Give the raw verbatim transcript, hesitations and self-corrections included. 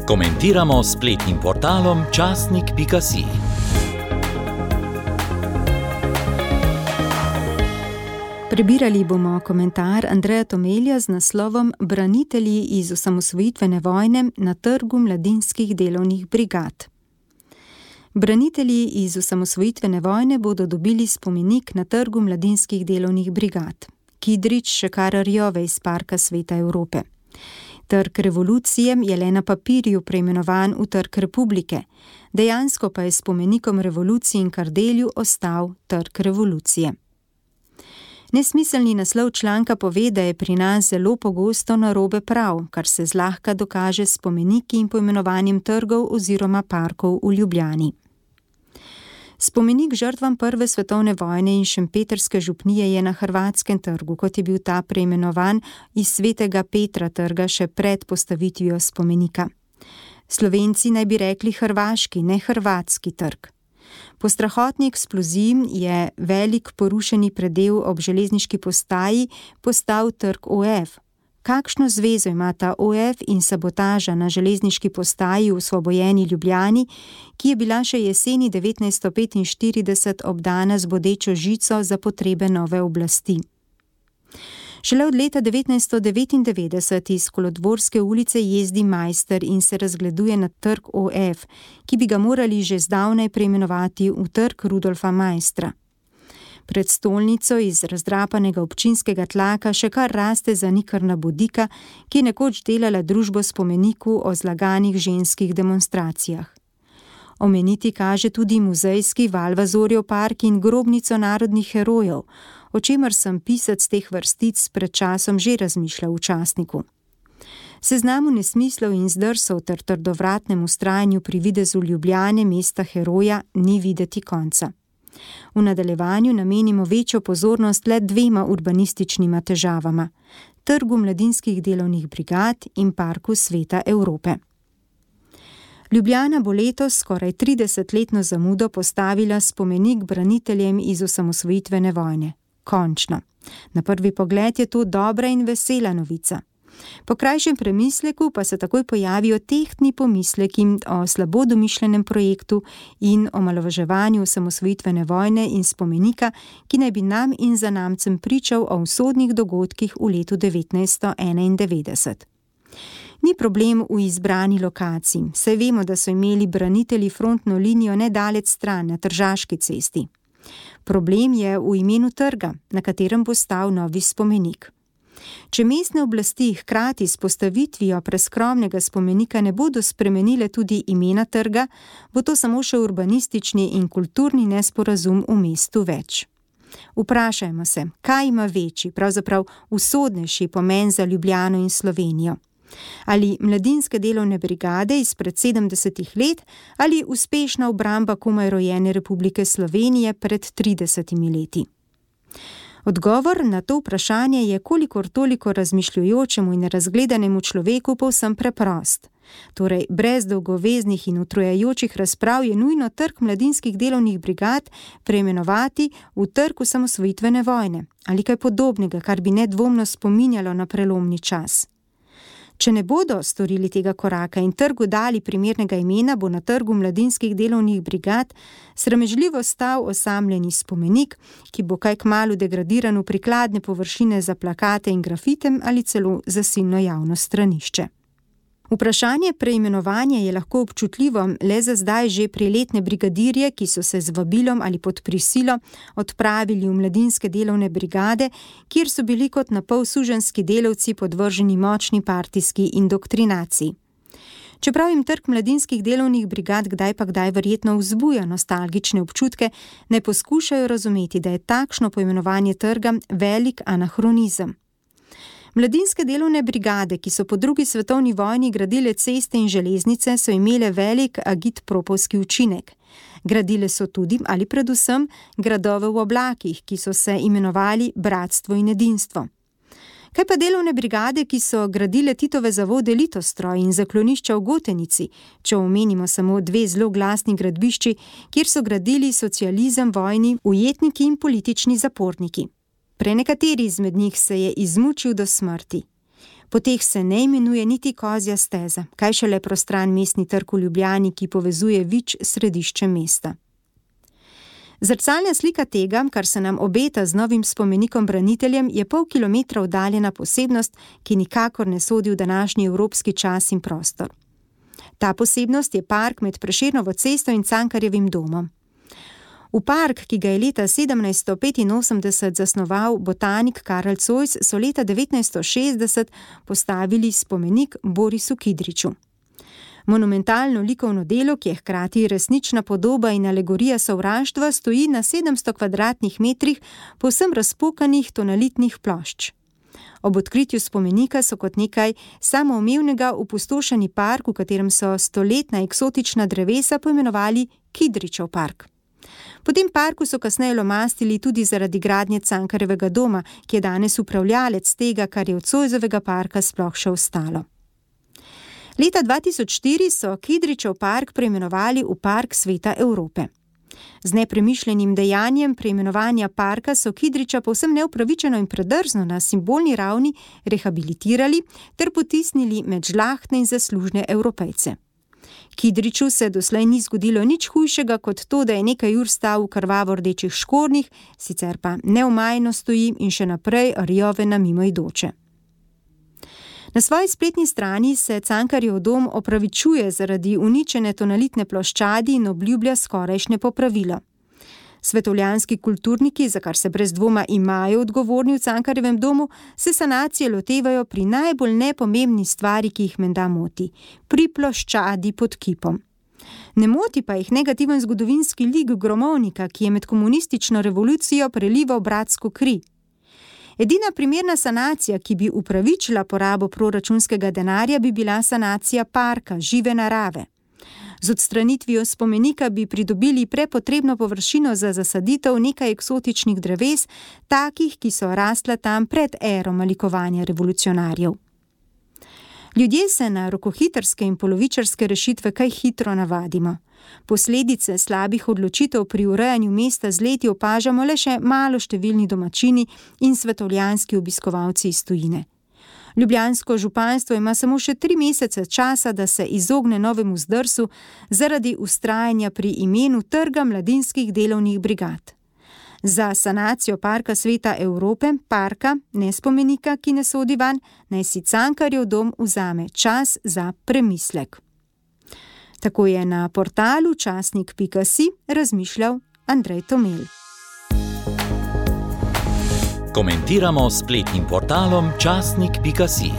Komentiramo s spletnim portalom časnik pika si. Prebirali bomo komentar Andreja Tomelja z naslovom Branitelji iz osamosvojitvene vojne na trgu mladinskih delovnih brigad. Branitelji iz osamosvojitvene vojne bodo dobili spomenik na trgu mladinskih delovnih brigad. Kidrič Šekararjove iz Parka Sveta Evrope. Trg revolucije je le na papirju preimenovan v Trg republike, dejansko pa je spomenikom revoluciji in Kardelju ostal Trg revolucije. Nesmiselni naslov članka pove, da je pri nas zelo pogosto narobe prav, kar se zlahka dokaže s spomeniki in poimenovanjem trgov oziroma parkov v Ljubljani. Spomenik žrtvam prve svetovne vojne in šempetrske župnije je na Hrvatskem trgu, kot je bil ta preimenovan iz Svetega Petra trga še pred postavitvijo spomenika. Slovenci naj bi rekli hrvaški, ne hrvatski trg. Po strahotni eksploziji je velik porušeni predel ob železniški postaji postal trg O F. Kakšno zvezo ima ta O F in sabotaža na železniški postaji v osvobojeni Ljubljani, ki je bila še jeseni devetnajststo petinštirideset obdana z bodečo žico za potrebe nove oblasti. Šele od leta devetnajststo devetindevetdeset iz Kolodvorske ulice jezdi Majster in se razgleduje na trg O F, ki bi ga morali že zdavnaj preimenovati v trg Rudolfa Maistra. Pred stolnico iz razdrapanega občinskega tlaka še kar raste zanikrna bodika, ki je nekoč delala družbo spomeniku o zlaganih ženskih demonstracijah. Omeniti kaže tudi muzejski Valvazorjev park in grobnico narodnih herojev, o čemer sem pisec teh vrstic pred časom že razmišljal v časniku. Seznamu nesmislov in zdrsov ter trdovratnemu vztrajanju pri videzu Ljubljane, mesta heroja, ni videti konca. V nadaljevanju namenimo večjo pozornost le dvema urbanističnima težavama, trgu mladinskih delovnih brigad in Parku Sveta Evrope. Ljubljana bo letos skoraj tridesetletno zamudo postavila spomenik braniteljem iz osamosvojitvene vojne. Končno. Na prvi pogled je to dobra in vesela novica. Po krajšem premisleku pa se takoj pojavijo tehtni pomisleki o slabo domišljenem projektu in omalovaževanju osamosvojitvene vojne in spomenika, ki naj bi nam in zanamcem pričal o usodnih dogodkih v letu devetnajststo enaindevetdeset. Ni problem v izbrani lokaciji, saj vemo, da so imeli branitelji frontno linijo nedalec stran na Tržaški cesti. Problem je v imenu trga, na katerem bo stal novi spomenik. Če mestne oblasti hkrati s postavitvijo preskromnega spomenika ne bodo spremenile tudi imena trga, bo to samo še urbanistični in kulturni nesporazum v mestu več. Vprašajmo se, kaj ima večji, pravzaprav usodnejši pomen za Ljubljano in Slovenijo? Ali mladinske delovne brigade izpred sedemdesetih let ali uspešna obramba komaj rojene Republike Slovenije pred tridesetimi leti? Odgovor na to vprašanje je kolikor toliko razmišljujočemu in razgledanemu človeku povsem preprost. Torej, brez dolgoveznih in utrujajočih razprav je nujno trg mladinskih delovnih brigad preimenovati v trg osamosvojitvene vojne ali kaj podobnega, kar bi nedvomno spominjalo na prelomni čas. Če ne bodo storili tega koraka in trgu dali primernega imena, bo na trgu mladinskih delovnih brigad sramežljivo stal osamljeni spomenik, ki bo kaj kmalu degradiran v prikladne površine za plakate in grafitem ali celo za silno javno stranišče. Vprašanje preimenovanja je lahko občutljivo le za zdaj že priletne brigadirje, ki so se z vabilom ali pod prisilo odpravili v mladinske delovne brigade, kjer so bili kot napol suženjski delavci podvrženi močni partijski indoktrinaciji. Čeprav jim trg mladinskih delovnih brigad kdaj pa kdaj verjetno vzbuja nostalgične občutke, ne poskušajo razumeti, da je takšno poimenovanje trga velik anahronizem. Mladinske delovne brigade, ki so po drugi svetovni vojni gradile ceste in železnice, so imele velik agitpropovski učinek. Gradile so tudi, ali predvsem, gradove v oblakih, ki so se imenovali Bratstvo in edinstvo. Kaj pa delovne brigade, ki so gradile Titove zavode Litostroj in zaklonišča v Gotenici, če omenimo samo dve zelo glasni gradbišči, kjer so gradili socializem vojni, ujetniki in politični zaporniki. Prenekateri izmed njih se je izmučil do smrti. Poteh se ne imenuje niti kozja steza, kaj šele prostran mestni trg v Ljubljani, ki povezuje Vič s središčem mesta. Zrcalna slika tega, kar se nam obeta z novim spomenikom braniteljem, je pol kilometra oddaljena posebnost, ki nikakor ne sodi v današnji evropski čas in prostor. Ta posebnost je park med Prešernovo cesto in Cankarjevim domom. V park, ki ga je leta sedemnajststo petinosemdeset zasnoval botanik Karl Zois, so leta devetnajststo šestdeset postavili spomenik Borisu Kidriču. Monumentalno likovno delo, ki je hkrati resnična podoba in alegorija sovraštva, stoji na sedemsto kvadratnih metrih povsem razpokanih tonalitnih plošč. Ob odkritju spomenika so kot nekaj samoumevnega opustošeni park, v katerem so stoletna eksotična drevesa poimenovali Kidričev park. Po tem parku so kasneje lomastili tudi zaradi gradnje Cankarjevega doma, ki je danes upravljalec tega, kar je od Zoisovega parka sploh še ostalo. Leta dva tisoč štiri so Kidričev park preimenovali v Park Sveta Evrope. Z nepremišljenim dejanjem preimenovanja parka so Kidriča povsem neupravičeno in predrzno na simbolni ravni rehabilitirali ter potisnili med žlahtne in zaslužne Evropejce. Kidriču se doslej ni zgodilo nič hujšega kot to, da je nekaj ur stal v krvavo rdečih škornjih, sicer pa neomajno stoji in še naprej rjove na mimoidoče. Na svoji spletni strani se Cankarjev dom opravičuje zaradi uničene tonalitne ploščadi in obljublja skorajšnje popravilo. Svetovljanski kulturniki, za kar se brez dvoma imajo odgovorni v Cankarjevem domu, se sanacije lotevajo pri najbolj nepomembni stvari, ki jih menda moti, pri ploščadi pod kipom. Ne moti pa jih negativen zgodovinski lik gromovnika, ki je med komunistično revolucijo prelival bratsko kri. Edina primerna sanacija, ki bi upravičila porabo proračunskega denarja, bi bila sanacija parka, žive narave. Z odstranitvijo spomenika bi pridobili prepotrebno površino za zasaditev nekaj eksotičnih dreves, takih, ki so rasla tam pred ero malikovanja revolucionarjev. Ljudje se na rokohitrske in polovičarske rešitve kaj hitro navadimo. Posledice slabih odločitev pri urejanju mesta z leti opažamo le še malo številni domačini in svetovljanski obiskovalci iz tujine. Ljubljansko županstvo ima samo še tri mesece časa, da se izogne novemu zdrsu zaradi vztrajanja pri imenu Trga mladinskih delovnih brigad. Za sanacijo Parka Sveta Evrope, parka, ne spomenika, ki ne sodi vanj, naj si Cankarjev dom vzame čas za premislek. Tako je na portalu časnik pika si razmišljal Andrej Tomel. Komentiramo s spletnim portalom časnik pika si.